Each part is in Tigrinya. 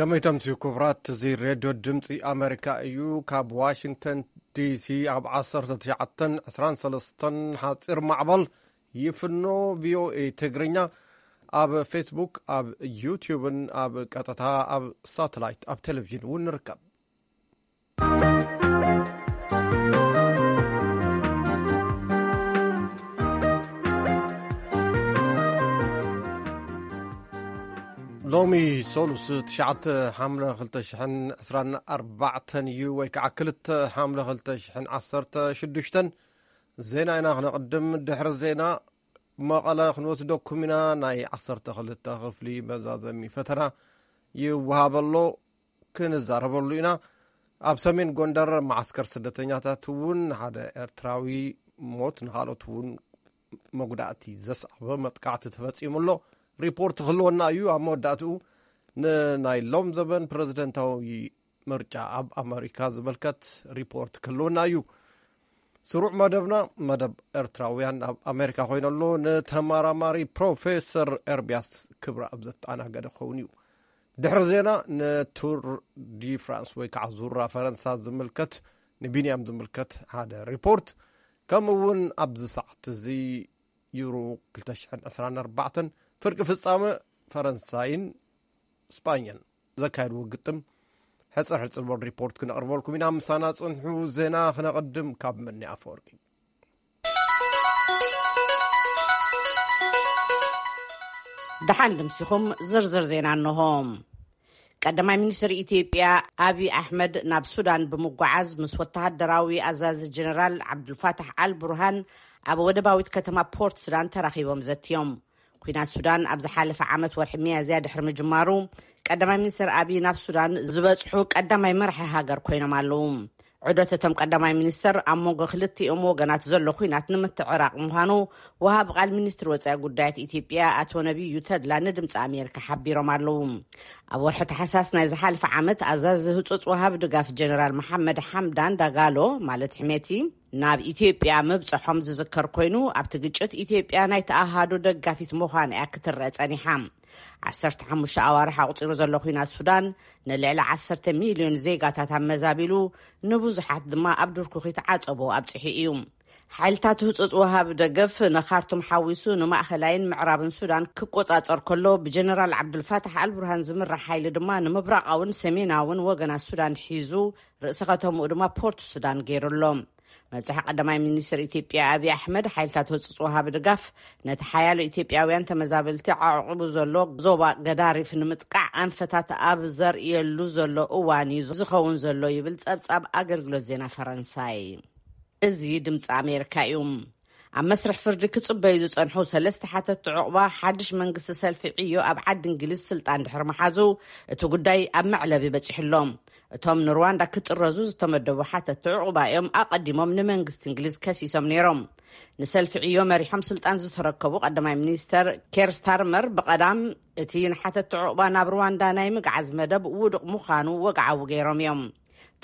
ከመይ ተምስዩ ክቡራት፣ እዚ ሬድዮ ድምፂ ኣሜሪካ እዩ። ካብ ዋሽንግተን ዲሲ ኣብ ዓሰርተ ትሽዓተን ዕስራን ሰለስተን ሓፂር ማዕበል ይፍኖ ቪኦኤ ትግርኛ፣ ኣብ ፌስቡክ፣ ኣብ ዩትዩብን ኣብ ቀጥታ ኣብ ሳተላይት ኣብ ቴሌቪዥን እውን ንርከብ። ሎሚ ሰሉስ ትሽዓተ ሓምለ ክልተ ሽሕን ዕስራን ኣርባዕተን እዩ፣ ወይ ከዓ ክልተ ሓምለ ክልተ ሽሕን ዓሰርተ ሽዱሽተን። ዜና ኢና ክነቕድም። ድሕሪ ዜና መቐለ ክንወስደኩም ኢና። ናይ ዓሰርተ ክልተ ክፍሊ መዛዘሚ ፈተና ይወሃበሎ፣ ክንዛረበሉ ኢና። ኣብ ሰሜን ጎንደር መዓስከር ስደተኛታት እውን ሓደ ኤርትራዊ ሞት፣ ንኻልኦት እውን መጉዳእቲ ዘስዓበ መጥቃዕቲ ተፈጺሙ ኣሎ። ሪፖርት ክህልወና እዩ። ኣብ መወዳእትኡ ንናይ ሎም ዘበን ፕረዚደንታዊ ምርጫ ኣብ ኣመሪካ ዝምልከት ሪፖርት ክህልወና እዩ። ስሩዕ መደብና፣ መደብ ኤርትራውያን ኣብ ኣሜሪካ ኮይኑ ኣሎ። ንተመራማሪ ፕሮፌሰር ኤርሚያስ ክብረኣብ ዘተኣናገደ ክኸውን እዩ። ድሕሪ ዜና ንቱር ዲ ፍራንስ ወይ ከዓ ዙራ ፈረንሳ ዝምልከት፣ ንቢንያም ዝምልከት ሓደ ሪፖርት፣ ከምኡ እውን ኣብዚ ሰዓት እዚ ዩሮ ክልተ ሽሕን ዕስራን ኣርባዕተን ፍርቂ ፍጻመ ፈረንሳይን ስጳኛን ዘካየድዎ ግጥም ሕጽር ሕጽር በል ሪፖርት ክነቕርበልኩም ኢና። ምሳና ጽንሑ። ዜና ክነቕድም ካብ መኒ ኣፈወርቂ። ደሓን ድምሲኹም። ዝርዝር ዜና እንሆ። ቀዳማይ ሚኒስትር ኢትዮጵያ ኣብይ ኣሕመድ ናብ ሱዳን ብምጓዓዝ ምስ ወተሃደራዊ ኣዛዚ ጀነራል ዓብዱልፋታሕ ኣል ቡርሃን ኣብ ወደባዊት ከተማ ፖርት ሱዳን ተራኺቦም ዘትዮም። ኲናት ሱዳን ኣብ ዝሓለፈ ዓመት ወርሒ ሚያዝያ ድሕሪ ምጅማሩ፣ ቀዳማይ ሚኒስትር ኣብይ ናብ ሱዳን ዝበጽሑ ቀዳማይ መራሒ ሃገር ኮይኖም ኣለዉ። ዑደት እቶም ቀዳማይ ሚኒስትር ኣብ መንጎ ክልቲኦም ወገናት ዘሎ ኲናት ንምትዕራቕ ምዃኑ ወሃቢ ቃል ሚኒስትሪ ወጻኢ ጉዳያት ኢትዮጵያ ኣቶ ነቢዩ ተድላ ንድምፂ ኣሜሪካ ሓቢሮም ኣለዉ። ኣብ ወርሒ ታሕሳስ ናይ ዝሓለፈ ዓመት ኣዛዚ ህጹጽ ወሃቢ ድጋፍ ጀነራል መሓመድ ሓምዳን ዳጋሎ ማለት ሕሜቲ ናብ ኢትዮጵያ ምብጽሖም ዝዝከር ኮይኑ፣ ኣብቲ ግጭት ኢትዮጵያ ናይቲ ኣሃዱ ደጋፊት ምዃን እያ ክትረአ ጸኒሓ። ዓሰርተ ሓሙሽተ ኣዋርሕ ኣቑጺሩ ዘሎ ኲናት ሱዳን ንልዕሊ ዓሰርተ ሚልዮን ዜጋታት ኣመዛቢሉ፣ ንብዙሓት ድማ ኣብ ድርኩኺት ዓጸቦ ኣብጺሑ እዩ። ሓይልታት ህጹጽ ወሃቢ ደገፍ ንኻርቱም ሓዊሱ ንማእኸላይን ምዕራብን ሱዳን ክቆጻጸር ከሎ፣ ብጀነራል ዓብዱልፋታሕ ኣልቡርሃን ዝምራሕ ሓይሊ ድማ ንምብራቓውን ሰሜናውን ወገናት ሱዳን ሒዙ፣ ርእሲ ከተምኡ ድማ ፖርት ሱዳን ገይሩ ኣሎ። መብጽሒ ቀዳማይ ሚኒስትር ኢትዮጵያ ኣብይ ኣሕመድ፣ ሓይልታት ህጹጽ ወሃቢ ድጋፍ ነቲ ሓያሎ ኢትዮጵያውያን ተመዛበልቲ ዓቑቡ ዘሎ ዞባ ገዳሪፍ ንምጥቃዕ ኣንፈታት ኣብ ዘርእየሉ ዘሎ እዋን እዩ ዝኸውን ዘሎ ይብል ጸብጻብ ኣገልግሎት ዜና ፈረንሳይ። እዚ ድምፂ ኣሜሪካ እዩ። ኣብ መስርሕ ፍርዲ ክጽበዩ ዝጸንሑ ሰለስተ ሓተትቲ ዕቑባ፣ ሓድሽ መንግስቲ ሰልፊ ዕዮ ኣብ ዓዲ እንግሊዝ ስልጣን ድሕሪ ምሓዙ፣ እቲ ጉዳይ ኣብ መዕለቢ በጺሑ ኣሎ። እቶም ንሩዋንዳ ክጥረዙ ዝተመደቡ ሓተትቲ ዕቑባ እዮም ኣቐዲሞም ንመንግስቲ እንግሊዝ ከሲሶም ነይሮም። ንሰልፊ ዕዮ መሪሖም ስልጣን ዝተረከቡ ቀዳማይ ሚኒስተር ኬር ስታርመር፣ ብቐዳም እቲ ንሓተትቲ ዕቑባ ናብ ሩዋንዳ ናይ ምግዓዝ መደብ ውዱቕ ምዃኑ ወግዓዊ ገይሮም እዮም።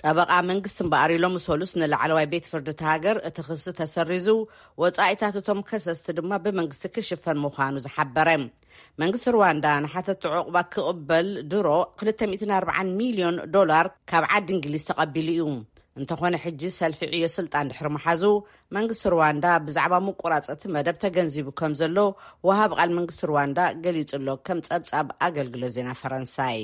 ጠበቓ መንግስቲ እምበኣር፣ ሎሚ ሰሉስ ንላዕለዋይ ቤት ፍርዲ እታ ሃገር፣ እቲ ክሲ ተሰሪዙ፣ ወጻኢታት እቶም ከሰስቲ ድማ ብመንግስቲ ክሽፈን ምዃኑ ዝሓበረ። መንግስቲ ሩዋንዳ ንሓተቲ ዕቑባ ክቕበል ድሮ ክልተ ሚእትን ኣርባዓን ሚልዮን ዶላር ካብ ዓዲ እንግሊዝ ተቐቢሉ እዩ። እንተኾነ፣ ሕጂ ሰልፊ ዕዮ ስልጣን ድሕሪ ምሓዙ፣ መንግስቲ ሩዋንዳ ብዛዕባ ምቁራጽ እቲ መደብ ተገንዚቡ ከም ዘሎ ወሃብ ቃል መንግስቲ ሩዋንዳ ገሊጹ ኣሎ፣ ከም ጸብጻብ ኣገልግሎት ዜና ፈረንሳይ።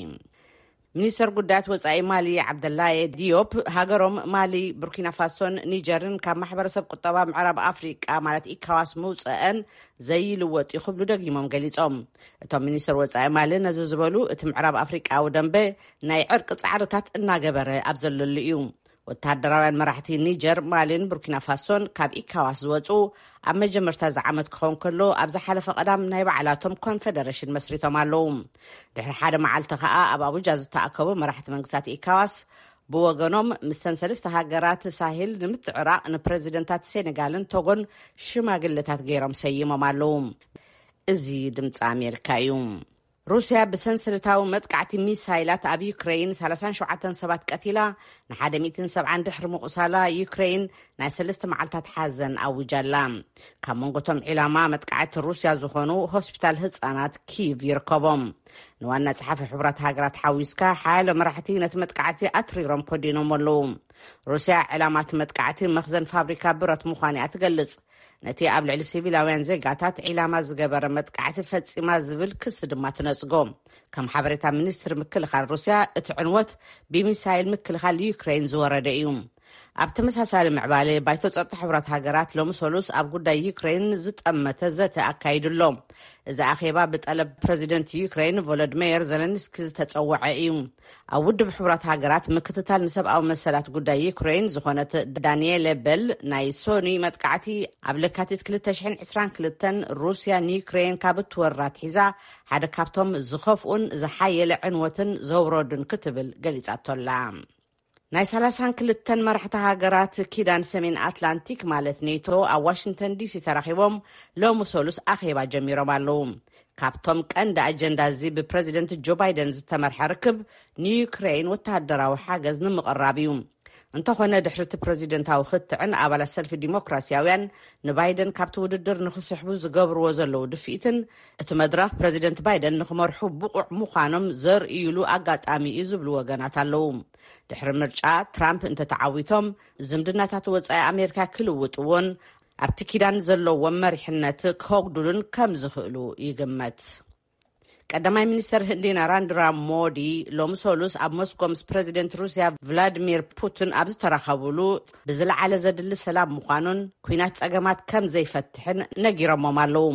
ሚኒስተር ጉዳያት ወጻኢ ማሊ ዓብደላየ ዲዮፕ፣ ሃገሮም ማሊ፣ ቡርኪና ፋሶን ኒጀርን ካብ ማሕበረሰብ ቁጠባ ምዕራብ ኣፍሪቃ ማለት ኢካዋስ ምውፀአን ዘይልወጥ እዩ ክብሉ ደጊሞም ገሊጾም። እቶም ሚኒስተር ወጻኢ ማሊ ነዚ ዝበሉ፣ እቲ ምዕራብ ኣፍሪቃዊ ደንበ ናይ ዕርቂ ጻዕርታት እናገበረ ኣብ ዘለሉ እዩ። ወተሃደራውያን መራሕቲ ኒጀር፣ ማሊን ቡርኪና ፋሶን ካብ ኢካዋስ ዝወጹ ኣብ መጀመርታ እዚ ዓመት ክኸውን ከሎ፣ ኣብ ዝሓለፈ ቀዳም ናይ ባዕላቶም ኮንፈደረሽን መስሪቶም ኣለዉ። ድሕሪ ሓደ መዓልቲ ከኣ ኣብ ኣቡጃ ዝተኣከቡ መራሕቲ መንግስታት ኢካዋስ ብወገኖም፣ ምስተን ሰለስተ ሃገራት ሳሄል ንምትዕራቕ ንፕረዚደንታት ሴኔጋልን ቶጎን ሽማግለታት ገይሮም ሰይሞም ኣለዉ። እዚ ድምፂ ኣሜሪካ እዩ። ሩስያ ብሰንሰለታዊ መጥቃዕቲ ሚሳይላት ኣብ ዩክሬን ሰላሳን ሸውዓተን ሰባት ቀቲላ፣ ንሓደ ሚእትን ሰብዓን ድሕሪ ምቑሳላ፣ ዩክሬን ናይ ሰለስተ መዓልታት ሓዘን ኣውጃላ። ካብ መንጎቶም ዒላማ መጥቃዕቲ ሩስያ ዝኾኑ ሆስፒታል ህጻናት ኪቭ ይርከቦም። ንዋና ጸሓፊ ሕቡራት ሃገራት ሓዊስካ፣ ሓያሎ መራሕቲ ነቲ መጥቃዕቲ ኣትሪሮም ኮዲኖም ኣለዉ። ሩስያ ዕላማ እቲ መጥቃዕቲ መኽዘን ፋብሪካ ብረት ምዃኑ እያ ትገልጽ። ነቲ ኣብ ልዕሊ ሲቪላውያን ዜጋታት ዒላማ ዝገበረ መጥቃዕቲ ፈጺማ ዝብል ክሲ ድማ ትነጽጎ። ከም ሓበሬታ ሚኒስትሪ ምክልኻል ሩስያ፣ እቲ ዕንወት ብሚሳይል ምክልኻል ዩክሬን ዝወረደ እዩ። ኣብ ተመሳሳሊ ምዕባለ፣ ባይቶ ጸጥታ ሕቡራት ሃገራት ሎሚ ሰሉስ ኣብ ጉዳይ ዩክሬን ዝጠመተ ዘተ ኣካይዱ ኣሎ። እዚ ኣኼባ ብጠለብ ፕረዚደንት ዩክሬን ቮሎድሜየር ዘለንስኪ ዝተጸወዐ እዩ። ኣብ ውድብ ሕቡራት ሃገራት ምክትታል ንሰብኣዊ መሰላት ጉዳይ ዩክሬን ዝኾነት ዳንኤለ በል፣ ናይ ሶኒ መጥቃዕቲ ኣብ ለካቲት ክልተ ሽሕን ዕስራን ክልተን ሩስያ ንዩክሬን ካብ እትወራ ኣትሒዛ ሓደ ካብቶም ዝኸፍኡን ዝሓየለ ዕንወትን ዘውረዱን ክትብል ገሊጻቶ ኣላ። ናይ ሰላሳን ክልተን መራሕቲ ሃገራት ኪዳን ሰሜን ኣትላንቲክ ማለት ኔቶ ኣብ ዋሽንግተን ዲሲ ተራኺቦም ሎሚ ሰሉስ ኣኼባ ጀሚሮም ኣለዉ። ካብቶም ቀንዲ ኣጀንዳ እዚ ብፕረዚደንት ጆ ባይደን ዝተመርሐ ርክብ ንዩክሬን ወተሃደራዊ ሓገዝ ንምቕራብ እዩ። እንተኾነ ድሕሪ እቲ ፕረዚደንታዊ ክትዕን ኣባላት ሰልፊ ዲሞክራሲያውያን ንባይደን ካብቲ ውድድር ንኽስሕቡ ዝገብርዎ ዘለዉ ድፍኢትን እቲ መድረኽ ፕረዚደንት ባይደን ንኽመርሑ ብቑዕ ምዃኖም ዘርእይሉ ኣጋጣሚ እዩ ዝብሉ ወገናት ኣለዉ። ድሕሪ ምርጫ ትራምፕ እንተተዓዊቶም፣ ዝምድናታት ወጻኢ ኣሜሪካ ክልውጥዎን ኣብቲ ኪዳን ዘለዎም መሪሕነት ከጉድሉን ከም ዝኽእሉ ይግመት። ቀዳማይ ሚኒስተር ህንዲ ናራንድራ ሞዲ ሎሚ ሰሉስ ኣብ ሞስኮ ምስ ፕረዚደንት ሩስያ ቭላድሚር ፑቲን ኣብ ዝተራኸቡሉ፣ ብዝለዓለ ዘድሊ ሰላም ምዃኑን ኲናት ጸገማት ከም ዘይፈትሕን ነጊሮሞም ኣለዉ።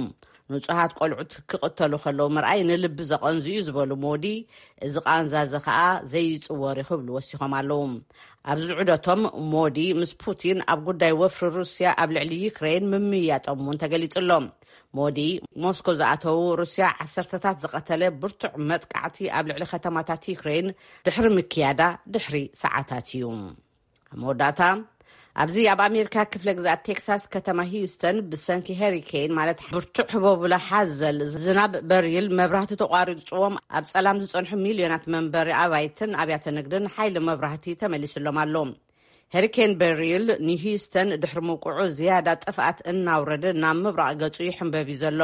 ንጹሃት ቆልዑት ክቕተሉ ከለዉ ምርኣይ ንልቢ ዘቐንዙ እዩ ዝበሉ ሞዲ፣ እዚ ቃንዛ እዚ ኸኣ ዘይጽወር እዩ ክብሉ ወሲኾም ኣለዉ። ኣብዚ ዑደቶም ሞዲ ምስ ፑቲን ኣብ ጉዳይ ወፍሪ ሩስያ ኣብ ልዕሊ ዩክሬን ምምይያጦም እውን ተገሊጹ ኣሎ። ሞዲ ሞስኮ ዝኣተዉ ሩስያ ዓሰርተታት ዝቐተለ ብርቱዕ መጥቃዕቲ ኣብ ልዕሊ ከተማታት ዩክሬን ድሕሪ ምክያዳ ድሕሪ ሰዓታት እዩ። ኣብ መወዳእታ፣ ኣብዚ ኣብ ኣሜሪካ ክፍለ ግዛት ቴክሳስ ከተማ ሂዩስተን ብሰንኪ ሄሪኬን ማለት ብርቱዕ ህቦብላ ሓዘል ዝናብ በሪል መብራህቲ ተቋሪፅዎም ኣብ ፀላም ዝፀንሑ ሚልዮናት መንበሪ ኣባይትን ኣብያተ ንግድን ሓይሊ መብራህቲ ተመሊስሎም ኣሎ። ሄሪኬን በሪል ንሂዩስተን ድሕሪ ምውቅዑ ዝያዳ ጥፍኣት እናውረደ ናብ ምብራቕ ገፁ ይሕንበብ እዩ ዘሎ።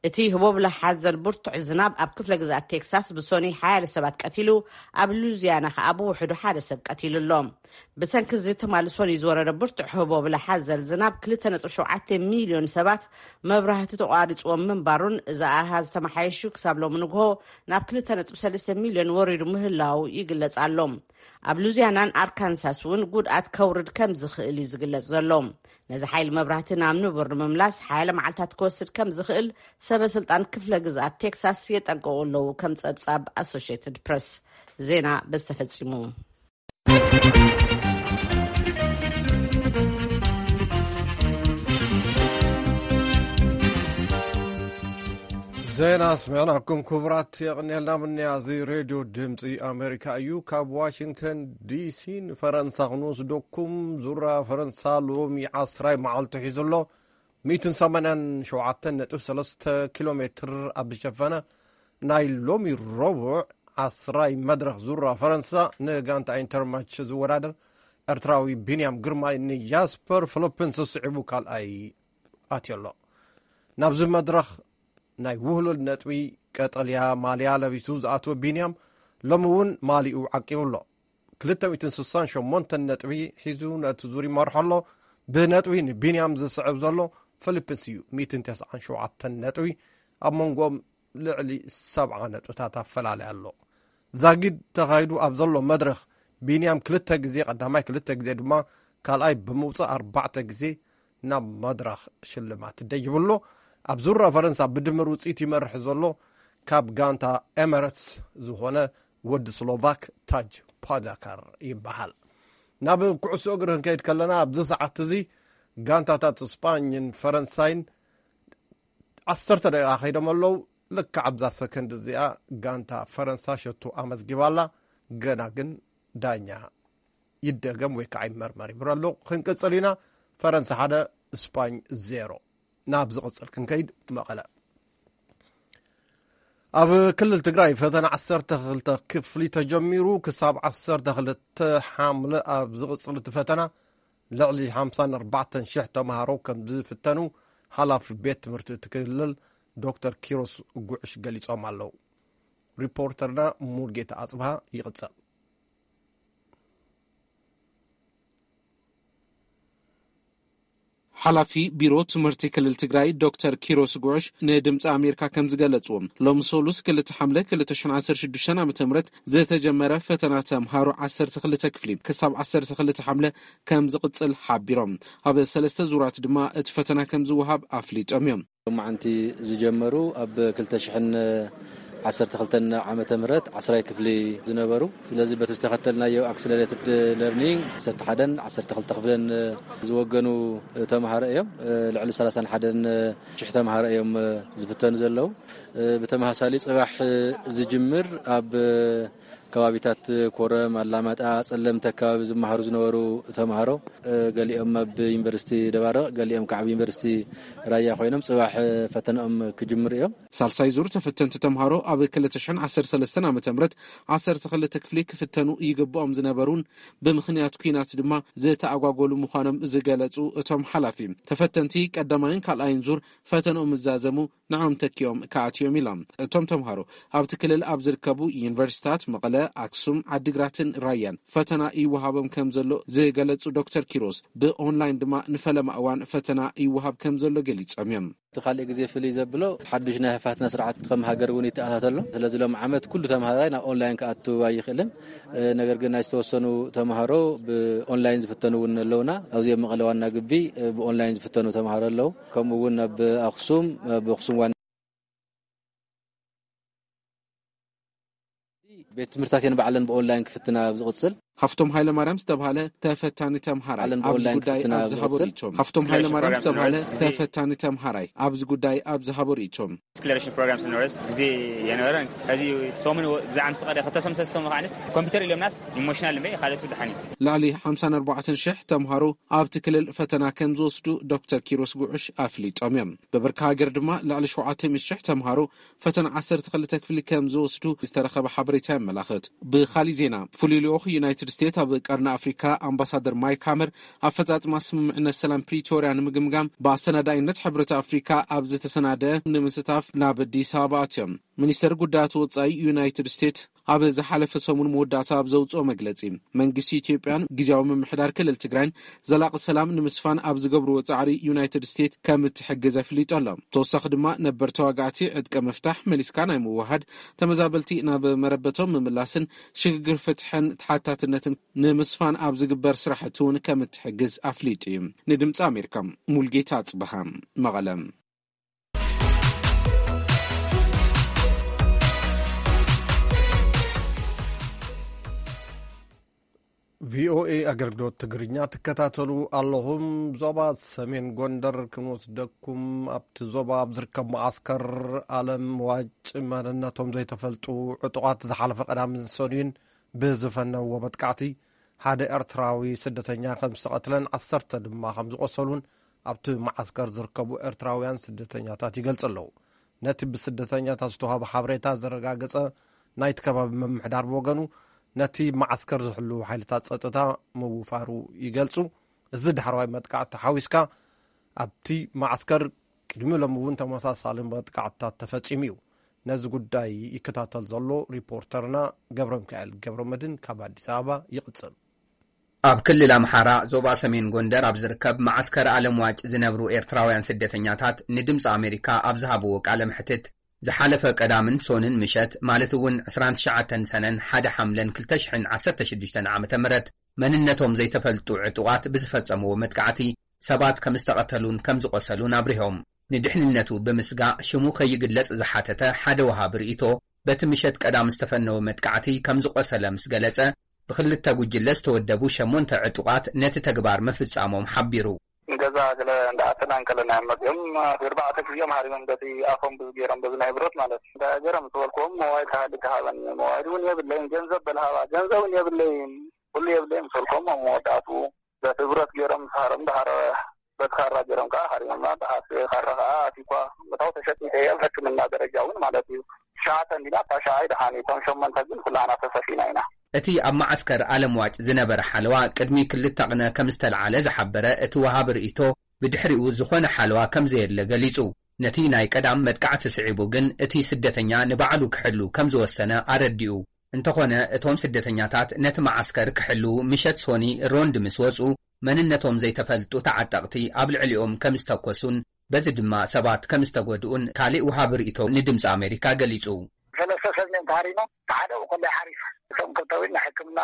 እቲ ህቦብላ ሓዘል ብርቱዕ ዝናብ ኣብ ክፍለ ግዛት ቴክሳስ ብሶኒ ሓያለ ሰባት ቀቲሉ፣ ኣብ ሉዚያና ከኣ ብውሕዱ ሓደ ሰብ ቀቲሉ ኣሎ። ብሰንኪ እዚ ትማሊ ሶኒ ዝወረደ ብርቱዕ ህቦብላ ሓዘል ዝናብ ክልተ ነጥቢ ሸውዓተ ሚልዮን ሰባት መብራህቲ ተቋሪፅዎም ምንባሩን፣ እዚ ኣሃዝ ተመሓየሹ ክሳብ ሎሚ ንግሆ ናብ ክልተ ነጥቢ ሰለስተ ሚልዮን ወሪዱ ምህላው ይግለጽ ኣሎ። ኣብ ሉዚያናን ኣርካንሳስ እውን ጉድኣት ከውርድ ከም ዝኽእል እዩ ዝግለጽ ዘሎ። ነዚ ሓይሊ መብራህቲ ናብ ንቡር ንምምላስ ሓያለ መዓልታት ክወስድ ከም ዝኽእል ሰበ ስልጣን ክፍለ ግዝኣት ቴክሳስ የጠንቅቑ ኣለዉ፣ ከም ጸብጻብ ኣሶሽየትድ ፕረስ። ዜና በዚ ተፈጺሙ። ዜና ኣስሚዕናኩም። ክቡራት፣ የቕንየልና። ምንያ፣ እዚ ሬድዮ ድምፂ ኣሜሪካ እዩ። ካብ ዋሽንግተን ዲሲ ንፈረንሳ ክንወስደኩም። ዙራ ፈረንሳ ሎሚ ዓስራይ መዓልቲ ሒዙ ኣሎ። ሚእትን ሰማንያን ሸውዓተን ነጥቢ ሰለስተ ኪሎ ሜትር ኣብ ዝሸፈነ ናይ ሎሚ ረቡዕ ዓስራይ መድረኽ ዙራ ፈረንሳ፣ ንጋንታ ኢንተርማች ዝወዳደር ኤርትራዊ ቢንያም ግርማይ ንጃስፐር ፊሊፕንስ ስዒቡ ካልኣይ ኣትዮ ኣሎ። ናብዚ መድረኽ ናይ ውህሉል ነጥቢ ቀጠልያ ማልያ ለቢሱ ዝኣትወ ቢንያም፣ ሎሚ እውን ማሊኡ ዓቂቡ ኣሎ። ክልተ ሚእትን ስሳን ሸሞንተን ነጥቢ ሒዙ ነቲ ዙር ይመርሖ ኣሎ። ብነጥቢ ንቢንያም ዝስዕብ ዘሎ ፊሊፕስ እዩ፣ ሚእትን ተስዓን ሸውዓተን ነጥቢ። ኣብ መንጎኦም ልዕሊ ሰብዓ ነጥብታት ኣፈላላይ ኣሎ። ዛጊድ ተኻይዱ ኣብ ዘሎ መድረኽ፣ ቢንያም ክልተ ግዜ ቀዳማይ፣ ክልተ ግዜ ድማ ካልኣይ ብምውጻእ፣ ኣርባዕተ ግዜ ናብ መድረኽ ሽልማት ደይቡ ኣሎ። ኣብ ዙራ ፈረንሳ ብድምር ውጽኢት ይመርሕ ዘሎ ካብ ጋንታ ኤመረትስ ዝኾነ ወዲ ስሎቫክ ታጅ ፖጋካር ይበሃል። ናብ ኩዕሶ እግሪ ክንከይድ ከለና፣ ኣብዚ ሰዓት እዚ ጋንታታት ስጳኝን ፈረንሳይን ዓሰርተ ደቂቓ ከይዶም ኣለዉ። ልክዕ ኣብዛ ሰከንድ እዚኣ ጋንታ ፈረንሳ ሸቶ ኣመዝጊባ ኣላ። ገና ግን ዳኛ ይደገም ወይ ከዓ ይመርመር ይብሎ ኣሎ። ክንቅጽል ኢና። ፈረንሳ ሓደ፣ ስጳኝ ዜሮ። ናብ ዝቕጽል ክንከይድ፣ መቐለ። ኣብ ክልል ትግራይ ፈተና ዓሰርተ ክልተ ክፍሊ ተጀሚሩ። ክሳብ ዓሰርተ ክልተ ሓምለ ኣብ ዝቕጽል እቲ ፈተና ልዕሊ ሓምሳን ኣርባዕተን ሽሕ ተምሃሮ ከም ዝፍተኑ ሓላፊ ቤት ትምህርቲ እቲ ክልል ዶክተር ኪሮስ ጉዕሽ ገሊጾም ኣለዉ። ሪፖርተርና ሙልጌታ ኣጽብሃ ይቕጽል። ሓላፊ ቢሮ ትምህርቲ ክልል ትግራይ ዶክተር ኪሮስ ጉዕሽ ንድምፂ ኣሜሪካ ከም ዝገለፅዎ፣ ሎሚ ሰሉስ ክልተ ሓምለ ክልተ ሽሕን ዓሰርተ ሽዱሽተን ዓመተ ምህረት ዝተጀመረ ፈተና ተምሃሮ ዓሰርተ ክልተ ክፍሊ ክሳብ ዓሰርተ ክልተ ሓምለ ከም ዝቕፅል ሓቢሮም። ኣብ ሰለስተ ዙራት ድማ እቲ ፈተና ከም ዝወሃብ ኣፍሊጦም እዮም። ሎማዓንቲ ዝጀመሩ ኣብ ክልተ ሽሕን ዓሰርተ ክልተን ዓመተ ምህረት ዓስራይ ክፍሊ ዝነበሩ፣ ስለዚ በቲ ዝተኸተልናዮ ኣክስለሬትድ ለርኒንግ ዓሰርተ ሓደን ዓሰርተ ክልተ ክፍልን ዝወገኑ ተምሃሮ እዮም። ልዕሊ ሰላሳን ሓደን ሽሕ ተምሃሮ እዮም ዝፍተኑ ዘለዉ። ብተመሳሳሊ ጽባሕ ዝጅምር ኣብ ከባቢታት ኮረም፣ ኣላማጣ፣ ጸለምቲ ኣከባቢ ዝመሃሩ ዝነበሩ ተምሃሮ፣ እ፣ ገሊኦም ኣብ ዩኒቨርሲቲ ደባርቕ፣ ገሊኦም ከዓ ኣብ ዩኒቨርሲቲ ራያ ኮይኖም ጽባሕ ፈተናኦም ክጅምሩ እዮም። ሳልሳይ ዙር ተፈተንቲ ተምሃሮ ኣብ ክልተ ሽሕን ዓሰርተ ሰለስተን ዓመተ ምህረት ዓሰርተ ክልተ ክፍሊ ክፍተኑ ይግብኦም ዝነበሩን ብምኽንያት ኲናት ድማ ዝተኣጓጎሉ ምዃኖም ዝገለጹ እቶም ሓላፊ፣ ተፈተንቲ ቀዳማይን ካልኣይን ዙር ፈተንኦም ምዛዘሙ ንዕኦም ተኪኦም ክኣትዮም ኢሎም። እቶም ተምሃሮ ኣብቲ ክልል ኣብ ዝርከቡ ዩኒቨርሲታት መቐለ፣ ኣክሱም፣ ዓዲግራትን ራያን ፈተና ይወሃቦም ከም ዘሎ ዝገለጹ ዶክተር ኪሮስ፣ ብኦንላይን ድማ ንፈለማ እዋን ፈተና ይወሃብ ከም ዘሎ ገሊጾም እዮም። እቲ ካልእ ግዜ ፍልይ ዘብሎ ሓዱሽ ናይ ህፋትና ስርዓት ከም ሃገር እውን ይተኣታተሎ። ስለዚ ሎም ዓመት ኩሉ ተምሃራይ ናብ ኦንላይን ክኣቱ ኣይኽእልን። እ፣ ነገር ግን ናይ ዝተወሰኑ ተምሃሮ ብኦንላይን ዝፍተኑ እውን ኣለውና። ኣብዚ ኣብ መቐለ ዋና ግቢ፣ እ፣ ብኦንላይን ዝፍተኑ ተምሃሮ ኣለዉ። ከምኡ እውን ኣብ ኣኽሱም፣ ኣብ ኣኽሱም ዋና ቤት ትምህርታት እየን ባዕለን ብኦንላይን ክፍትና ኣብ ዝቕጽል። ሃፍቶም ሃይለማርያም ዝተባህለ ተፈታኒ ተምሃራይ ኣብዚ ጉዳይ ኣብ ዝሃቦ ርእይቶ፣ ሃፍቶም ሃይለማርያም ዝተባህለ ተፈታኒ ተምሃራይ ኣብዚ ጉዳይ ኣብ ዝሃቦ ርእይቶ፣ ስክለሬሽን ፕሮግራም ስንወርስ ግዜ የነበረን። ከዚ ሰሙን ግዛዕ ምስ ቀደ ክልተ ሰሙን ሰለስተ ሰሙን ከዓንስ ኮምፒውተር ኢሎምናስ ኢሞሽናል እምበይ ካልኦት ደሓን እዩ። ልዕሊ ሓምሳን ኣርባዕተን ሽሕ ተምሃሮ ኣብቲ ክልል ፈተና ከም ዝወስዱ ዶክተር ኪሮስ ጉዑሽ ኣፍሊጦም እዮም። ብብርኪ ሃገር ድማ ልዕሊ ሸውዓተ ሚእቲ ሽሕ ተምሃሮ ፈተና ዓሰርተ ክልተ ክፍሊ ከም ዝወስዱ ዝተረኸበ ሓበሬታ የመላኽት። ብኻሊእ ዜና፣ ፍሉይ ልኡኽ ዩናይትድ ስቴትስ ኣብ ቀርኒ ኣፍሪካ ኣምባሳደር ማይክ ሃመር ኣፈጻጽማ ስምምዕነት ሰላም ፕሪቶርያ ንምግምጋም ብኣሰናዳኢነት ሕብረት ኣፍሪካ ኣብ ዝተሰናደ ንምስታፍ ናብ ኣዲስ ኣበባ ኣትዮም። ሚኒስተር ጉዳያት ወጻኢ ዩናይትድ ስቴትስ ኣብ ዝሓለፈ ሰሙን መወዳእታ ኣብ ዘውፅኦ መግለፂ፣ መንግስቲ ኢትዮጵያን ግዝያዊ ምምሕዳር ክልል ትግራይን ዘላቒ ሰላም ንምስፋን ኣብ ዝገብርዎ ጻዕሪ ዩናይትድ ስቴትስ ከም እትሕግዝ ኣፍሊጡ ኣሎ። ተወሳኺ ድማ ነበር ተዋጋእቲ ዕጥቀ ምፍታሕ መሊስካ ናይ ምውሃድ፣ ተመዛበልቲ ናብ መረበቶም ምምላስን ሽግግር ፍትሕን ተሓታትነትን ንምስፋን ኣብ ዝግበር ስራሕቲ እውን ከም እትሕግዝ ኣፍሊጡ እዩ። ንድምፂ ኣሜሪካ ሙልጌታ ኣጽብሃ፣ መቐለ። ቪኦኤ ኣገልግሎት ትግርኛ ትከታተሉ ኣለኹም። ዞባ ሰሜን ጎንደር ክንወስደኩም፣ ኣብቲ ዞባ ኣብ ዝርከብ መዓስከር ኣለም ዋጭ መንነቶም ዘይተፈልጡ ዕጡቓት ዝሓለፈ ቀዳምን ሰኑይን ብዝፈነዎ መጥቃዕቲ ሓደ ኤርትራዊ ስደተኛ ከም ዝተቐትለን ዓሰርተ ድማ ከም ዝቖሰሉን ኣብቲ መዓስከር ዝርከቡ ኤርትራውያን ስደተኛታት ይገልጹ ኣለዉ። ነቲ ብስደተኛታት ዝተዋህበ ሓበሬታ ዘረጋገጸ ናይቲ ከባቢ ምምሕዳር ብወገኑ፣ ነቲ መዓስከር ዝሕልዉ ሓይልታት ጸጥታ ምውፋሩ ይገልጹ። እዚ ዳሕረዋይ መጥቃዕቲ ሓዊስካ፣ ኣብቲ መዓስከር ቅድሚ ሎሚ እውን ተመሳሳሊ መጥቃዕትታት ተፈጺሙ እዩ። ነዚ ጉዳይ ይከታተል ዘሎ ሪፖርተርና ገብረ ሚካኤል ገብረ መድህን ካብ ኣዲስ ኣበባ ይቕጽል። ኣብ ክልል ኣምሓራ ዞባ ሰሜን ጎንደር ኣብ ዝርከብ መዓስከር ኣለምዋጭ ዝነብሩ ኤርትራውያን ስደተኛታት ንድምፂ ኣሜሪካ ኣብ ዝሃብዎ ቃለ መሕትት፣ ዝሓለፈ ቀዳምን ሶንን ምሸት፣ ማለት እውን ዕስራን ትሽዓተን ሰነን ሓደ ሓምለን ክልተ ሽሕን ዓሰርተ ሽዱሽተን ዓመተ ምህረት፣ መንነቶም ዘይተፈልጡ ዕጡቓት ብዝፈጸምዎ መጥቃዕቲ ሰባት ከም ዝተቐተሉን ከም ዝቖሰሉን ኣብሪሆም። ንድሕንነቱ ብምስጋእ ሽሙ ከይግለጽ ዝሓተተ ሓደ ወሃቢ ርእይቶ፣ በቲ ምሸት ቀዳም ዝተፈነወ መጥቃዕቲ ከም ዝቖሰለ ምስ ገለጸ፣ ብኽልተ ጉጅለ ዝተወደቡ ሸሞንተ ዕጡቓት ነቲ ተግባር ምፍጻሞም ሓቢሩ። ንገዛ ገለ እንዳኣተና እንከለና እዮም መጺኦም። ኣርባዕተ ግዜ እዮም ሃሪሞም፣ በቲ ኣፎም ብዙ ገይሮም፣ በዚ ናይ ብረት ማለት እዩ። እንታይ ገይሮም ዝበልክዎም፣ ሞባይል ተሃሊ ተሃበኒ። ሞባይል እውን የብለይን፣ ገንዘብ በልሃባ፣ ገንዘብ እውን የብለይን፣ ኩሉ የብለይን ምስ በልክዎም፣ ኣብ መወዳእትኡ በቲ ብረት ገይሮም ምስ ሃረሙ፣ ደሓር በቲ ካራ ገይሮም ከዓ ሃሪሞምና። ደሓር እቲ ካራ ከዓ ኣትዩ እኳ፣ መታው ተሸጢጠ እየ፣ ኣብ ሕክምና ደረጃ እውን ማለት እዩ። ሸዓተ እንዲና እታ ሸዓ ኣይደሓን እቶም ሸሞንተ ግን ኩላና ተሰፊና ኢና። እቲ ኣብ መዓስከር ኣለምዋጭ ዝነበረ ሓለዋ ቅድሚ ክልተ ቅነ ከም ዝተልዓለ ዝሓበረ እቲ ወሃቢ ርእይቶ፣ ብድሕሪኡ ዝኾነ ሓለዋ ከም ዘየለ ገሊጹ። ነቲ ናይ ቀዳም መጥቃዕቲ ስዒቡ ግን እቲ ስደተኛ ንባዕሉ ክሕሉ ከም ዝወሰነ ኣረዲኡ። እንተኾነ እቶም ስደተኛታት ነቲ መዓስከር ክሕሉ ምሸት ሶኒ ሮንድ ምስ ወጹ፣ መንነቶም ዘይተፈልጡ ተዓጠቕቲ ኣብ ልዕሊኦም ከም ዝተኮሱን በዚ ድማ ሰባት ከም ዝተጎድኡን ካልእ ወሃቢ ርእይቶ ንድምፂ ኣሜሪካ ገሊጹ። ሰለስተ ሰብ እዮም ተሃሪሞም፣ ሓደ ከሎ ሓሪፍ። እቶም ክልተ እውን ንሕክምና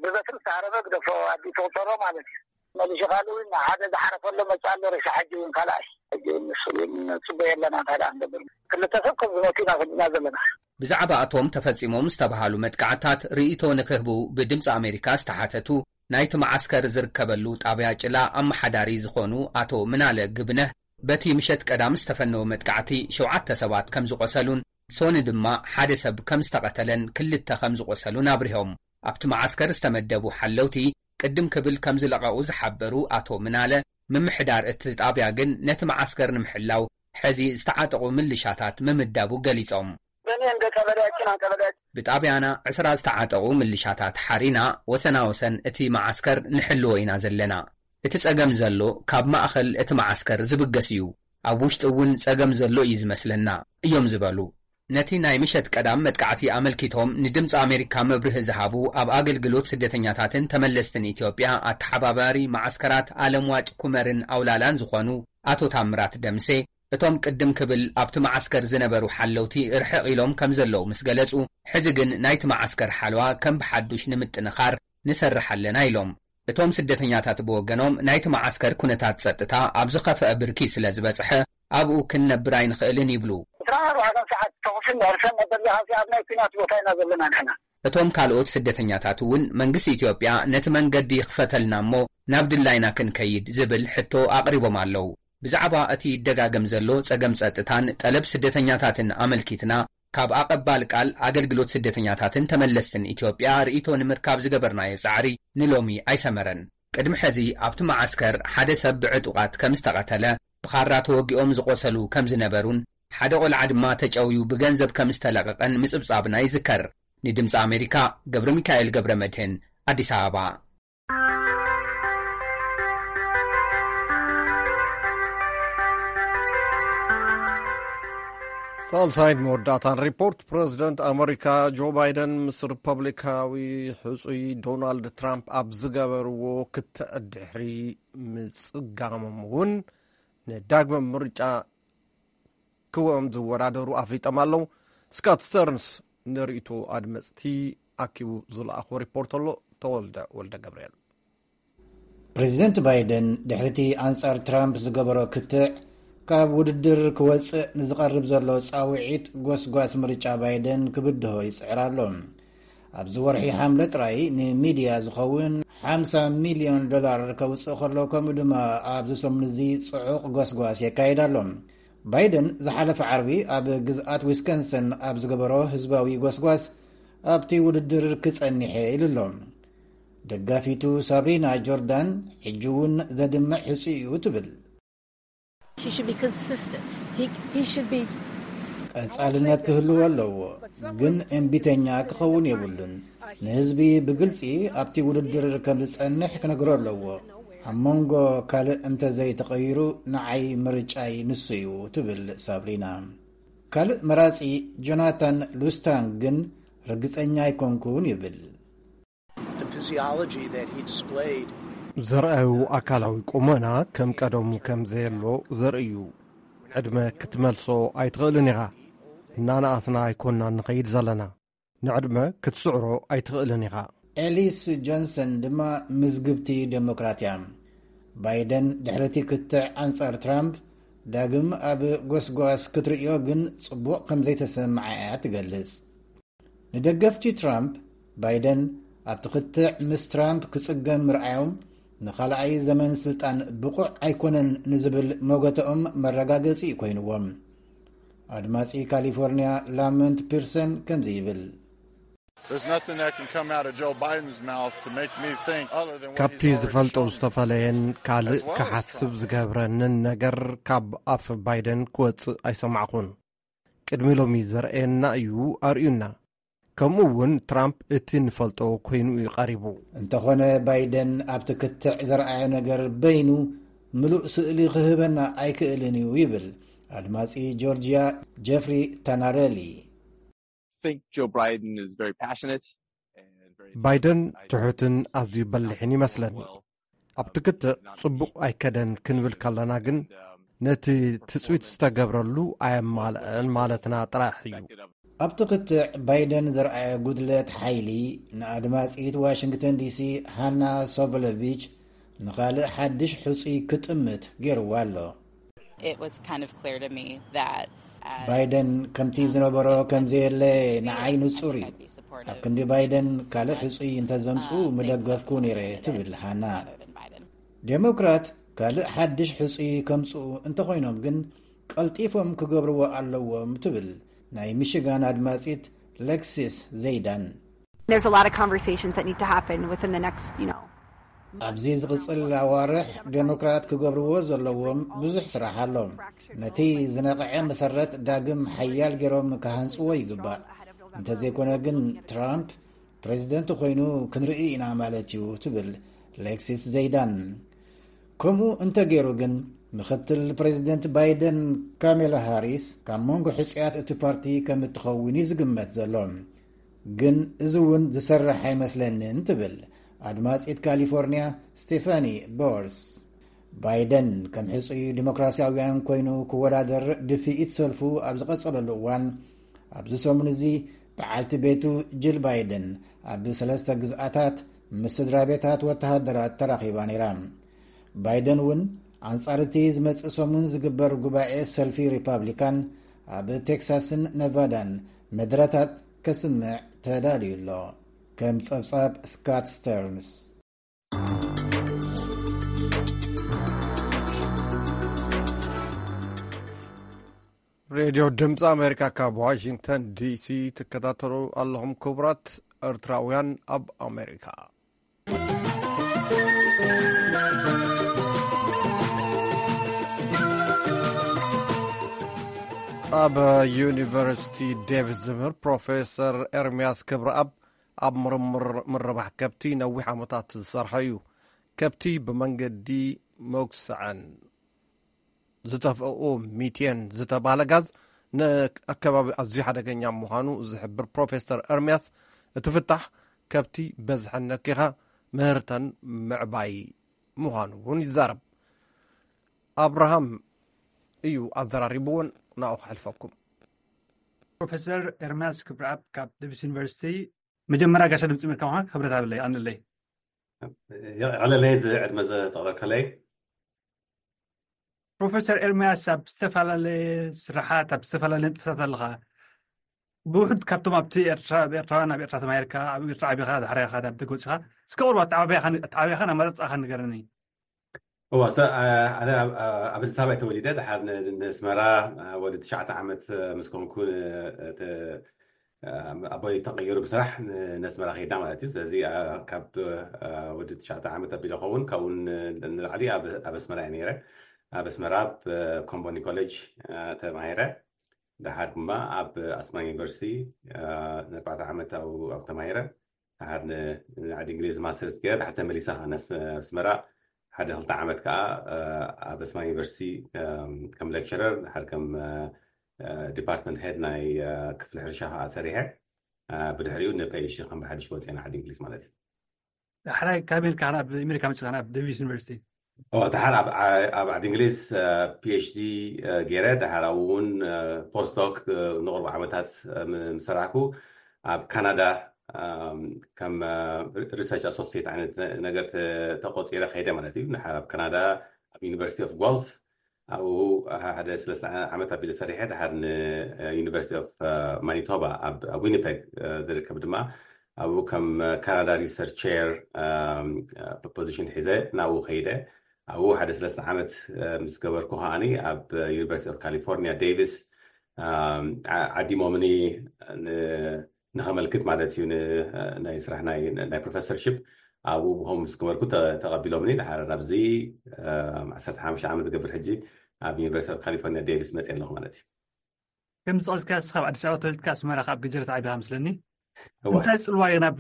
ብበትሪ ዝተሃረመ ግደፎ ኣዲኡ ተቑፀሮ ማለት እዩ። መሊሹ ካልእ እውን ሓደ ዝሓረፈሎ መፅእ ኣሎ ሬሳ ሕጂ እውን ካልኣይ። ሕጂ እውን ንሱ እውን ንፅበዮ ኣለና እንታይ ደኣ ንገብር። ክልተ ሰብ ከም ዝሞቱ ኢና ፈሊጥና ዘለና። ብዛዕባ እቶም ተፈፂሞም ዝተባሃሉ መጥቃዕታት ርእይቶ ንክህቡ ብድምፂ ኣሜሪካ ዝተሓተቱ ናይቲ መዓስከር ዝርከበሉ ጣብያ ጭላ ኣመሓዳሪ ዝኾኑ ኣቶ ምናለ ግብነህ፣ በቲ ምሸት ቀዳም ዝተፈነወ መጥቃዕቲ ሸውዓተ ሰባት ከም ዝቖሰሉን ሶኒ ድማ ሓደ ሰብ ከም ዝተቐተለን ክልተ ከም ዝቖሰሉን ኣብሪሆም። ኣብቲ መዓስከር ዝተመደቡ ሓለውቲ ቅድም ክብል ከም ዝለቐቑ ዝሓበሩ ኣቶ ምናለ፣ ምምሕዳር እቲ ጣብያ ግን ነቲ መዓስከር ንምሕላው ሕዚ ዝተዓጠቑ ምልሻታት ምምዳቡ ገሊጾም። እኔ እንደ ቀበሌያችን አንቀበሌያችን ብጣብያና ዕስራ ዝተዓጠቑ ምልሻታት ሓሪና ወሰና ወሰን እቲ መዓስከር ንሕልዎ ኢና ዘለና። እቲ ጸገም ዘሎ ካብ ማእኸል እቲ መዓስከር ዝብገስ እዩ። ኣብ ውሽጢ እውን ጸገም ዘሎ እዩ ዝመስለና እዮም ዝበሉ። ነቲ ናይ ምሸት ቀዳም መጥቃዕቲ ኣመልኪቶም ንድምፂ ኣሜሪካ መብርሂ ዝሃቡ ኣብ ኣገልግሎት ስደተኛታትን ተመለስትን ኢትዮጵያ ኣተሓባባሪ መዓስከራት ኣለምዋጭ ኩመርን ኣውላላን ዝኾኑ ኣቶ ታምራት ደምሴ፣ እቶም ቅድም ክብል ኣብቲ መዓስከር ዝነበሩ ሓለውቲ ርሕቕ ኢሎም ከም ዘለዉ ምስ ገለጹ፣ ሕዚ ግን ናይቲ መዓስከር ሓለዋ ከም ብሓዱሽ ንምጥንኻር ንሰርሕ ኣለና ኢሎም። እቶም ስደተኛታት ብወገኖም ናይቲ መዓስከር ኩነታት ጸጥታ ኣብ ዝኸፍአ ብርኪ ስለ ዝበጽሐ ኣብኡ ክንነብር ኣይንኽእልን ይብሉ። ዕስራን ኣርባዕተን ሰዓት ተኹስን ሕርሰን ነበር ዚሓሲ ኣብ ናይ ኲናት ቦታ ኢና ዘለና ንሕና። እቶም ካልኦት ስደተኛታት እውን መንግስቲ ኢትዮጵያ ነቲ መንገዲ ይኽፈተልና እሞ ናብ ድላይና ክንከይድ ዝብል ሕቶ ኣቕሪቦም ኣለዉ። ብዛዕባ እቲ ይደጋገም ዘሎ ጸገም ጸጥታን ጠለብ ስደተኛታትን ኣመልኪትና ካብ ኣቐባል ቃል ኣገልግሎት ስደተኛታትን ተመለስትን ኢትዮጵያ ርእይቶ ንምርካብ ዝገበርናዮ ጻዕሪ ንሎሚ ኣይሰመረን። ቅድሚ ሕዚ ኣብቲ መዓስከር ሓደ ሰብ ብዕጡቓት ከም ዝተቐተለ፣ ብኻራ ተወጊኦም ዝቖሰሉ ከም ዝነበሩን ሓደ ቖልዓ ድማ ተጨውዩ ብገንዘብ ከም ዝተለቐቐን ምጽብጻብና ይዝከር። ንድምፂ ኣሜሪካ ገብረ ሚካኤል ገብረ መድህን ኣዲስ ኣበባ። ሳልሳይን መወዳእታን ሪፖርት። ፕረዚደንት ኣመሪካ ጆ ባይደን ምስ ሪፐብሊካዊ ሕጹይ ዶናልድ ትራምፕ ኣብ ዝገበርዎ ክትዕ ድሕሪ ምጽጋሞም እውን ንዳግመ ምርጫ ክዎም ዝወዳደሩ ኣፍሊጦም ኣለዉ። ስካት ስተርንስ ንርእይቶ ኣድመጽቲ ኣኪቡ ዝለኣኾ ሪፖርት ኣሎ። ተወልደ ወልደ ገብርኤል። ፕሬዚደንት ባይደን ድሕሪቲ ኣንጻር ትራምፕ ዝገበሮ ክትዕ ካብ ውድድር ክወጽእ ንዝቐርብ ዘሎ ጻውዒት ጎስጓስ ምርጫ ባይደን ክብድሆ ይጽዕር ኣሎ። ኣብዚ ወርሒ ሓምለ ጥራይ ንሚድያ ዝኸውን ሓምሳ ሚልዮን ዶላር ከውጽእ ከሎ፣ ከምኡ ድማ ኣብዚ ሰሙን እዚ ጽዑቕ ጎስጓስ የካይድ ኣሎ። ባይደን ዝሓለፈ ዓርቢ ኣብ ግዝኣት ዊስከንሰን ኣብ ዝገበሮ ህዝባዊ ጎስጓስ፣ ኣብቲ ውድድር ክጸንሕ እየ ኢሉ ኣሎ። ደጋፊቱ ሳብሪና ጆርዳን ሕጂ እውን ዘድምዕ ሕጹይ እዩ ትብል። He should be consistent. He, he should be ቀጻልነት ክህልዎ ኣለዎ፣ ግን እምቢተኛ ክኸውን የብሉን። ንህዝቢ ብግልጺ ኣብቲ ውድድር ከም ዝጸንሕ ክነግሮ ኣለዎ። ኣብ መንጎ ካልእ እንተ ዘይተቐይሩ፣ ንዓይ ምርጫይ ንሱ እዩ ትብል ሳብሪና። ካልእ መራጺ ጆናታን ሉስታንግ ግን ርግጸኛ ኣይኮንኩን ይብል። The physiology that he displayed ዘርኣዩ ኣካላዊ ቁመና ከም ቀደሙ ከም ዘየሎ ዘርእዩ። ዕድመ ክትመልሶ ኣይትኽእልን ኢኻ። እናነኣስና ኣይኮንና ንኸይድ ዘለና። ንዕድመ ክትስዕሮ ኣይትኽእልን ኢኻ። ኤሊስ ጆንሰን ድማ ምዝግብቲ ዴሞክራት እያ። ባይደን ድሕሪቲ ክትዕ ኣንጻር ትራምፕ ዳግም ኣብ ጎስጓስ ክትርእዮ ግን ጽቡቕ ከም ዘይተሰምዓ እያ ትገልጽ። ንደገፍቲ ትራምፕ፣ ባይደን ኣብቲ ክትዕ ምስ ትራምፕ ክጽገም ምርኣዮም ንኻልኣይ ዘመን ስልጣን ብቑዕ ኣይኮነን ንዝብል መጎተኦም መረጋገጺ እዩ ኮይንዎም። ኣድማጺ ካሊፎርንያ ላመንት ፒርሰን ከምዚ ይብል። There's nothing that can come out of Joe Biden's mouth to make me think other than what ካብቲ he's already ዝፈልጦ shown me. ዝተፈለየን ካልእ As well as ክሓስብ Trump. ዝገብረንን ነገር ካብ ኣፍ ባይደን ክወጽእ ኣይሰማዕኹን። ቅድሚ ሎሚ ዘርኣየና እዩ ኣርእዩና። ከምኡ እውን ትራምፕ እቲ ንፈልጦ ኮይኑ እዩ ቀሪቡ። እንተኾነ ባይደን ኣብቲ ክትዕ ዘርኣዮ ነገር በይኑ ምሉእ ስእሊ ክህበና ኣይክእልን እዩ ይብል ኣድማጺ ጆርጂያ ጀፍሪ ታናረሊ። Think Joe Biden is very passionate. ባይደን ትሑትን ኣዝዩ በሊሕን ይመስለኒ። ኣብቲ ክትዕ ጽቡቕ ኣይከደን ክንብል ከለና ግን ነቲ ትጽቢት ዝተገብረሉ ኣየማልአን ማለትና ጥራሕ እዩ። ኣብቲ ክትዕ ባይደን ዘርኣየ ጉድለት ሓይሊ ንኣድማጺት ዋሽንግተን ዲሲ ሃና ሶቨሎቪች ንኻልእ ሓድሽ ሕጹይ ክጥምት ገይርዋ ኣሎ። It was kind of clear to me that ባይደን ከምቲ ዝነበሮ ከም ዘየለ ንዓይ ንጹር እዩ። ኣብ ክንዲ ባይደን ካልእ ሕጹይ እንተዘምጽኡ ምደገፍኩ ነይረ ትብል ሃና። ዴሞክራት ካልእ ሓድሽ ሕጹይ ከምጽኡ እንተኾይኖም ግን ቀልጢፎም ክገብርዎ ኣለዎም ትብል ናይ ሚሽጋን ኣድማጺት ሌክሲስ ዘይዳን። There's a lot of conversations that need to happen within the next, you know. ኣብዚ ዝቕጽል ኣዋርሕ ዴሞክራት ክገብርዎ ዘለዎም ብዙሕ ስራሕ ኣሎ። ነቲ ዝነቕዐ መሰረት ዳግም ሓያል ገይሮም ክሃንጽዎ ይግባእ። እንተዘይኮነ ግን ትራምፕ ፕሬዚደንት ኮይኑ ክንርኢ ኢና ማለት እዩ ትብል ሌክሲስ ዘይዳን። ከምኡ እንተገይሩ ግን ምኽትል ፕሬዚደንት ባይደን ካሜላ ሃሪስ ካብ መንጎ ሕጹያት እቲ ፓርቲ ከም እትኸውን እዩ ዝግመት ዘሎ። ግን እዚ እውን ዝሰርሕ ኣይመስለንን ትብል ኣድማጺት ካሊፎርኒያ ስቴፋኒ ቦርስ። ባይደን ከም ሕጹይ ዲሞክራሲያውያን ኮይኑ ክወዳደር ድፍኢት ሰልፉ ኣብ ዝቐጸለሉ እዋን ኣብዚ ሰሙን እዚ በዓልቲ ቤቱ ጅል ባይደን ኣብ ሰለስተ ግዝኣታት ምስ ስድራ ቤታት ወተሃደራት ተራኺባ ነይራ። ባይደን እውን ኣንጻር እቲ ዝመጽእ ሰሙን ዝግበር ጉባኤ ሰልፊ ሪፓብሊካን ኣብ ቴክሳስን ነቫዳን መድረታት ከስምዕ ተዳልዩ ኣሎ። ከም ጸብጻብ ስካት ስተርንስ። ሬድዮ ድምፂ ኣሜሪካ ካብ ዋሽንግተን ዲሲ ትከታተሉ ኣለኹም። ክቡራት ኤርትራውያን ኣብ ኣሜሪካ፣ ኣብ ዩኒቨርሲቲ ዴቪስ ዝምህር ፕሮፌሰር ኤርምያስ ክብረኣብ ኣብ ምርምር ምርባሕ ከብቲ ነዊሕ ዓመታት ዝሰርሐ እዩ። ከብቲ ብመንገዲ መጉስዐን ዝተፍኦ ሚቴን ዝተባህለ ጋዝ ንኣከባቢ ኣዝዩ ሓደገኛ ምዃኑ ዝሕብር ፕሮፌሰር ኤርምያስ፣ እቲ ፍታሕ ከብቲ በዝሐን ነኪኻ ምህርተን ምዕባይ ምዃኑ እውን ይዛረብ። ኣብርሃም እዩ ኣዘራሪብዎን፣ ናብኡ ከሕልፈኩም። ፕሮፌሰር ኤርምያስ ክብረኣብ ካብ ዴቪስ ዩኒቨርሲቲ፣ መጀመርያ ጋሻ ድምፂ ኣሜሪካ ምዃንካ ክብረት ኣለለይ፣ ኣንለይ። የቐለለይ፣ እዚ ዕድመ ዘቕረብከለይ። ፕሮፌሰር ኤርምያስ፣ ኣብ ዝተፈላለየ ስራሓት፣ ኣብ ዝተፈላለየ ንጥፈታት ኣለኻ። ብውሑድ ካብቶም ኣብቲ ኤርትራ፣ ኣብ ኤርትራውያን ኣብ ኤርትራ ተማሂርካ፣ ኣብ ኤርትራ ዓቢኻ፣ ድሕሪ ኸኣ ናብ ደገ ወጺኻ፣ እስከ ቁሩብ ኣተዓባብያኻ፣ ኣተዓባብያኻን ኣመራርጻኻን ንገረኒ። እዋ፣ ሰ-፣ ኣነ ኣብ፣ ኣብ ኣዲስ ኣበባ ተወሊደ፣ ድሓር ን-፣ ንኣስመራ ወዲ ትሽዓተ ዓመት ምስ ኮንኩ፣ ን-፣ ተ-፣ ኣቦይ ተቐይሩ ብስራሕ ን-፣ ንኣስመራ ከይድና ማለት እዩ። ስለዚ፣ ኣ፣ ካብ፣ ኣ፣ ወዲ ትሽዓተ ዓመት ኣቢለ ኸውን፣ ካብኡ ን-፣ ንላዕሊ ኣብ፣ ኣብ ኣስመራ እየ ነይረ። ኣብ ኣስመራ ኣብ ኮምቦኒ ኮሌጅ፣ ኣ፣ ተማሂረ። ድሓር ድማ ኣብ ኣስመራ ዩኒቨርሲቲ፣ ኣ፣ ንኣርባዕተ ዓመት ኣብኡ፣ ኣብኡ ተማሂረ። ድሓር ን-፣ ንዓዲ እንግሊዝ ማስተርስ ገይረ፣ ድሓር ተመሊሰ ኸዓ ንኣስ-፣ ኣስመራ ሓደ ክልተ ዓመት ከኣ፣ እ፣ ኣብ ኣስመራ ዩኒቨርሲቲ፣ እም፣ ከም ሌክቸረር፣ ድሓር ከም፣ እ፣ እ፣ ዲፓርትመንት ሄድ ናይ፣ እ፣ ክፍሊ ሕርሻ ከኣ ሰሪሐ። እ፣ ብድሕሪኡ ንፒ ኤች ዲ ከም ብሓድሽ ወፅየ ንዓዲ እንግሊዝ ማለት እዩ። ሕራይ ካብ ኣሜሪካ ናብ ኣሜሪካ መፂኻ ናብ ዴቪስ ዩኒቨርሲቲ? ኦ፣ ድሓር ኣብ፣ ኣብ ዓዲ እንግሊዝ፣ እ፣ ፒ ኤች ዲ፣ እ፣ ገይረ፣ ድሓር ኣብኡ እውን፣ እ፣ ፖስት ዶክ፣ እ፣ ንቕርቡ ዓመታት፣ እ፣ ም-፣ ምስ ሰራሕኩ፣ ኣብ ካናዳ፣ እም፣ ከም፣ እ፣ ሪ-፣ ሪሰርች ኣሶሲየት ዓይነት ነ-፣ ነገር ተ-፣ ተቆፂረ ከይደ ማለት እዩ። ድሓር ኣብ ካናዳ፣ ኣብ ዩኒቨርሲቲ ኦፍ ጓልፍ፣ ኣብኡ ሓደ ሰለስተ ዓመት ኣቢለ ሰሪሐ፣ ድሓር ን፣ እ፣ ዩኒቨርሲቲ ኦፍ፣ እ፣ ማኒቶባ ኣብ፣ ኣብ ዊኒፔግ፣ እ፣ ዝርከብ ድማ፣ ኣብኡ ከም፣ እ፣ ካናዳ ሪሰርች ቼር፣ እም፣ እ፣ ፖዚሽን ሒዘ ናብኡ ከይደ። ኣብኡ ሓደ ሰለስተ ዓመት፣ እ፣ ምስ ገበርኩ ከኣኒ ኣብ፣ እ፣ ዩኒቨርሲቲ ኦፍ ካሊፎርኒያ ዴቪስ፣ እም፣ ዓ-፣ ዓዲሞምኒ ን-፣ ንኸመልክት ማለት እዩ። ን-፣ ናይ ስራሕ ናይ፣ ናይ ፕሮፌሰርሺፕ ኣብኡ ብኸምኡ ምስ ገበርኩ ተ-፣ ተቐቢሎምኒ። ድሓር ናብዚ፣ እም፣ ዓሰርተ ሓሙሽተ ዓመት ዝገብር ሕጂ ኣብ ዩኒቨርሲቲ ኦፍ ካሊፎርኒያ ዴቪስ መፅየ ኣለኹ ማለት እዩ። ከም ዝጠቐስካ ንስኻ ኣብ ኣዲስ ኣበባ ተወሊድካ ኣስመራ ካብ ገጀረት ዓቢኻ መስለኒ። እዋ። እንታይ ጽልዋ ኢኻ ናብ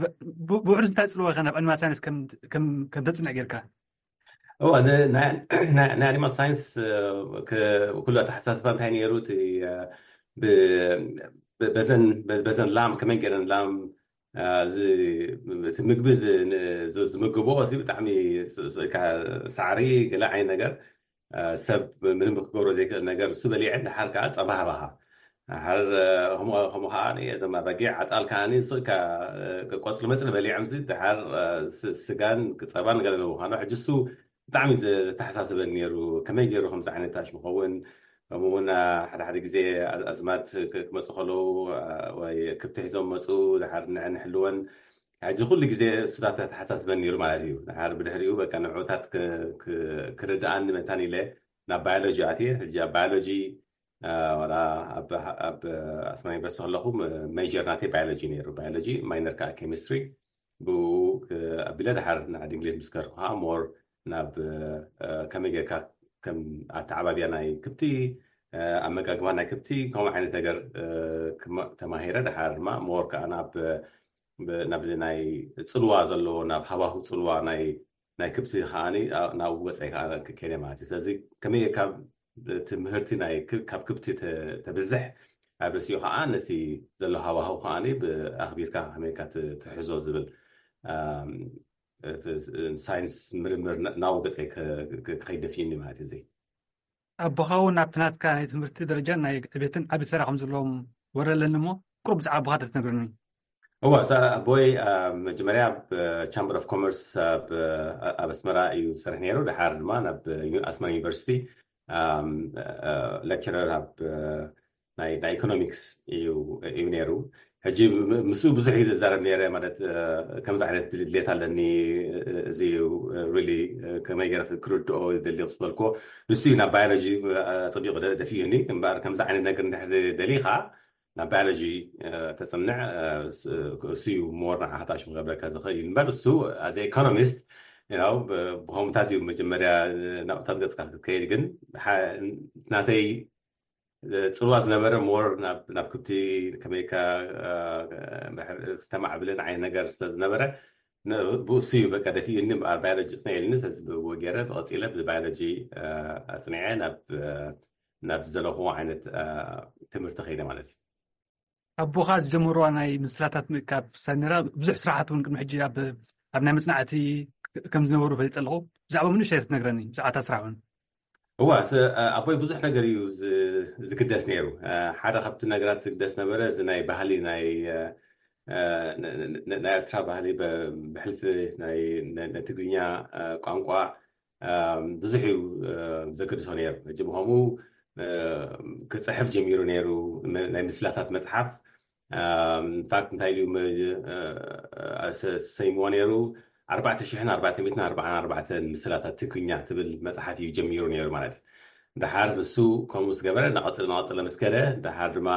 ብ- ብውሕዱ እንታይ ጽልዋ ኢኻ ናብ ዕልማ ሳይንስ ከም ከም ከም ተጽንዕ ጌርካ? እዋ፣ ን- ናይ ናይ- ናይ ኣኒማል ሳይንስ እ፣ ክ- ኩሉ ኣተሓሳስባ እንታይ ነይሩ? እቲ እ፣ ብ- ብ- በዘን በ- በዘን ላም ከመይ ገይረን ላም እ፣ ዝ- እቲ ምግቢ ዝ- ን- ዝ- ዝምግብኦ እዚ ብጣዕሚ ስ- ስ- ካ- ሳዕሪ ገለ ዓይነት ነገር እ፣ ሰብ ምንም ክገብሮ ዘይክእል ነገር እሱ በሊዐን ድሓር ከዓ ጸባ ሃባኻ። ድሓር እ፣ ከምኡ ከምኡ ከዓ እዞም ኣባጊዕ ዓጣል ከዓ ንሱ ኢልካ እ፣ ቆፅሊ መፅሊ በሊዖምሲ ድሓር እ፣ ስ- ስጋን ጸባን ገለ ንምዃኑ ሕጂ እሱ ብጣዕሚ ዘተሓሳስበን ነይሩ። ከመይ ገይሩ ከምዚ ዓይነት ታሽ ምኸውን? ከምኡ እውን ሓደ ሓደ ግዜ ኣዝማድ ክመፁ ከለዉ ወይ ክብቲ ሒዞም መፁ ድሓር ንዕን ሕልወን ሕጂ ኩሉ ግዜ እሱታት ተተሓሳስበን ነይሩ ማለት እዩ። ድሓር ብድሕሪኡ በቃ ንዕኡታት ክርድኣኒ መታን ኢለ ናብ ባዮሎጂ ኣትየ። ሕጂ ኣብ ባዮሎጂ ዋላ ኣብ ኣስመራ ዩኒቨርሲቲ ከለኹ ሜጀር ናተይ ባዮሎጂ ነይሩ፣ ባዮሎጂ ማይነር ከዓ ኬሚስትሪ። ብኡ ኣቢለ ድሓር ንዓዲ እንግሊዝ ምስ ከድኩ ከዓ ሞር ናብ ከመይ ጌርካ ከም ኣተዓባብያ ናይ ክብቲ፣ ኣመጋግባ ናይ ክብቲ ከምኡ ዓይነት ነገር ተማሂረ። ድሓር ድማ ሞር ከዓ ናብ ናብ ናይ ፅልዋ ዘለዎ ናብ ሃዋሁ ፅልዋ ናይ ናይ ክብቲ ከዓ ናብኡ ወፀ ከዓ ከይደ ማለት እዩ። ስለዚ ከመይ ጌርካ ትምህርቲ ናይ ካብ ክብቲ ተብዝሕ ኣብ ርእሲኡ ከዓ ነቲ ዘሎ ሃዋሁ ከዓ ብኣኽቢርካ ከመይ ጌርካ ትሕዞ ዝብል ሳይንስ ምርምር ናብኡ ገፀ ክኸይድ ደፊእኒ ማለት እዩ። ኣቦኻ እውን ኣብቲ ናትካ ናይ ትምህርቲ ደረጃን ናይ ዕቤትን ዓቢ ተራ ከም ዘለዎም ወረ ኣለኒ እሞ ቁሩብ ብዛዕባ ኣቦኻ ተትነግረኒ። እዋ ኣቦይ መጀመርያ ኣብ ቻምበር ኦፍ ኮመርስ ኣብ ኣስመራ እዩ ዝሰርሕ ነይሩ። ድሓር ድማ ናብ ኣስመራ ዩኒቨርሲቲ ሌክቸረር ኣብ ናይ ኢኮኖሚክስ እዩ ነይሩ። ሕጂ ምስኡ ብዙሕ ግዜ ዝዛረብ ነይረ ማለት ከምዚ ዓይነት ድሌት ኣለኒ፣ እዚ ሪሊ ከመይ ገይረ ክርድኦ ደሊ ዝበልኮ ንሱ እዩ ናብ ባዮሎጂ ኣፀቢቑ ደፊኡኒ። እምበኣር ከምዚ ዓይነት ነገር እንድሕር ደሊኻ ናብ ባዮሎጂ ተፅንዕ እሱ እዩ ሞር ንዓኻ ታሽሙ ክገብረካ ዝኽእል እዩ። እምበር እሱ ኣዘ ኢኮኖሚስት ብኸምታት እዩ መጀመርያ ናብታት ገፅካ ክትከይድ። ግን ናተይ ፅልዋ ዝነበረ ሞር ናብ ክብቲ ከመይካ ተማዕብልን ዓይነት ነገር ስለዝነበረ ብእሱ እዩ በቃ ደፊኡኒ። እምበኣር ባዮሎጂ ፅንዕ ኢልኒ። ስለዚ ብእዎ ገይረ ብቐፂለ ብባዮሎጂ ኣፅኒዐ ናብ ዝደለኹዎ ዓይነት ትምህርቲ ከይደ ማለት እዩ። ኣቦኻ ዝጀመርዋ ናይ ምስላታት ምእካብ ሳነራ ብዙሕ ስራሓት እውን ቅድሚ ሕጂ ኣብ ናይ መፅናዕቲ ከም ዝነበሩ ፈሊጠ ኣለኹ። ብዛዕባ ምንእሽተይ ክትነግረኒ ብዛዕባ እታ ስራሕ እውን። እዋ ኣቦይ ብዙሕ ነገር እዩ ዝግደስ ነይሩ። ሓደ ካብቲ ነገራት ዝግደስ ነበረ እዚ ናይ ባህሊ ናይ ናይ ኤርትራ ባህሊ ብሕልፊ ናይ ትግርኛ ቋንቋ ብዙሕ እዩ ዘገድሶ ነይሩ። ሕጂ ብኸምኡ ክፅሕፍ ጀሚሩ ነይሩ። ናይ ምስላታት መፅሓፍ ኢንፋክት እንታይ ኢሉ ሰይምዎ ነይሩ? ኣርባዕተ ሽሕን ኣርባዕተ ሚእትን ኣርባዓን ኣርባዕተን ምስላታት ትግርኛ ትብል መፅሓፍ እዩ ጀሚሩ ነይሩ ማለት እዩ። ድሓር ንሱ ከምኡ ምስ ገበረ እናቐፅለ እናቐፅለ ምስ ከደ ድሓር ድማ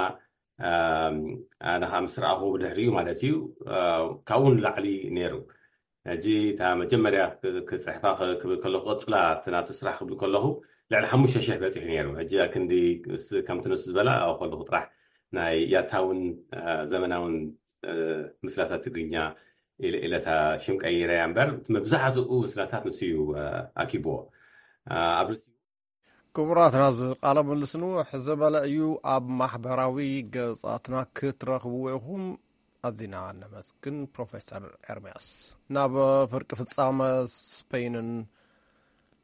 ኣነ ከዓ ምስ ረኣኹ ብድሕሪኡ ማለት እዩ ካብኡ ንላዕሊ ነይሩ። ሕጂ እታ መጀመርያ ክፅሕፋ ክብል ከለኩ ክቕፅላ እቲ ናቱ ስራሕ ክብል ከለኩ ልዕሊ ሓሙሽተ ሽሕ በፂሑ ነይሩ። ሕጂ ኣክንዲ ከምቲ ንሱ ዝበላ ኣብኡ ከለኩ ጥራሕ ናይ ያታውን ዘመናውን ምስላታት ትግርኛ ኢለታ ሽም ቀይረ እያ እምበር መብዛሕትኡ ምስላታት ንሱ እዩ ኣኪብዎ ኣብ ርእሲኡ። ክቡራት ናዚ ቃለ ምልልስ ንውሕ ዝበለ እዩ። ኣብ ማሕበራዊ ገጻትና ክትረኽብዎ ኢኹም። ኣዚና ነመስግን ፕሮፌሰር ኤርምያስ። ናብ ፍርቂ ፍጻመ ስፔይንን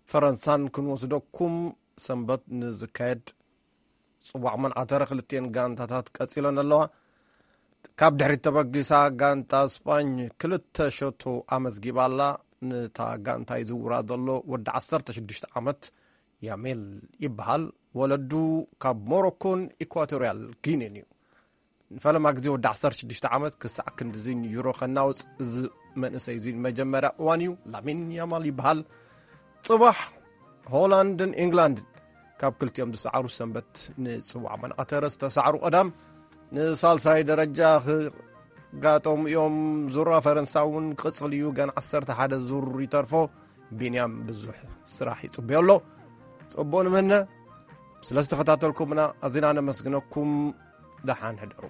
ፈረንሳን ክንወስደኩም ሰንበት ንዝካየድ ጽዋዕ መንዓተረ ክልቲኤን ጋንታታት ቀጺለን ኣለዋ። ካብ ድሕሪት ተበጊሳ ጋንታ ስጳኝ ክልተ ሸቶ ኣመዝጊባ ኣላ። ንታ ጋንታ ይዝውራ ዘሎ ወዲ ዓሰርተ ሽዱሽተ ዓመት ያሜል ይበሃል። ወለዱ ካብ ሞሮኮን ኢኳቶሪያል ጊኒን እዩ። ንፈለማ ግዜ ወዲ ዓሰርተ ሽዱሽተ ዓመት ክሳዕ ክንድዚ ንዩሮ ከናውፅ እዚ መንእሰይ እዚ ንመጀመርያ እዋን እዩ። ላሚን ያማል ይበሃል። ፅባሕ ሆላንድን ኢንግላንድን ካብ ክልቲኦም ዝሰዓሩ ሰንበት ንፅዋዕ መንዓተረ ዝተሰዓሩ ቀዳም ንሳልሳይ ደረጃ ክጋጠሙ እዮም። ዙራ ፈረንሳ እውን ክቕፅል እዩ። ገና ዓሰርተ ሓደ ዙር ይተርፎ። ቢንያም ብዙሕ ስራሕ ይፅበዮ ኣሎ። ፅቡቕ ንምነ። ስለ ዝተኸታተልኩምና ኣዚና ነመስግነኩም። ደሓን ሕደሩ።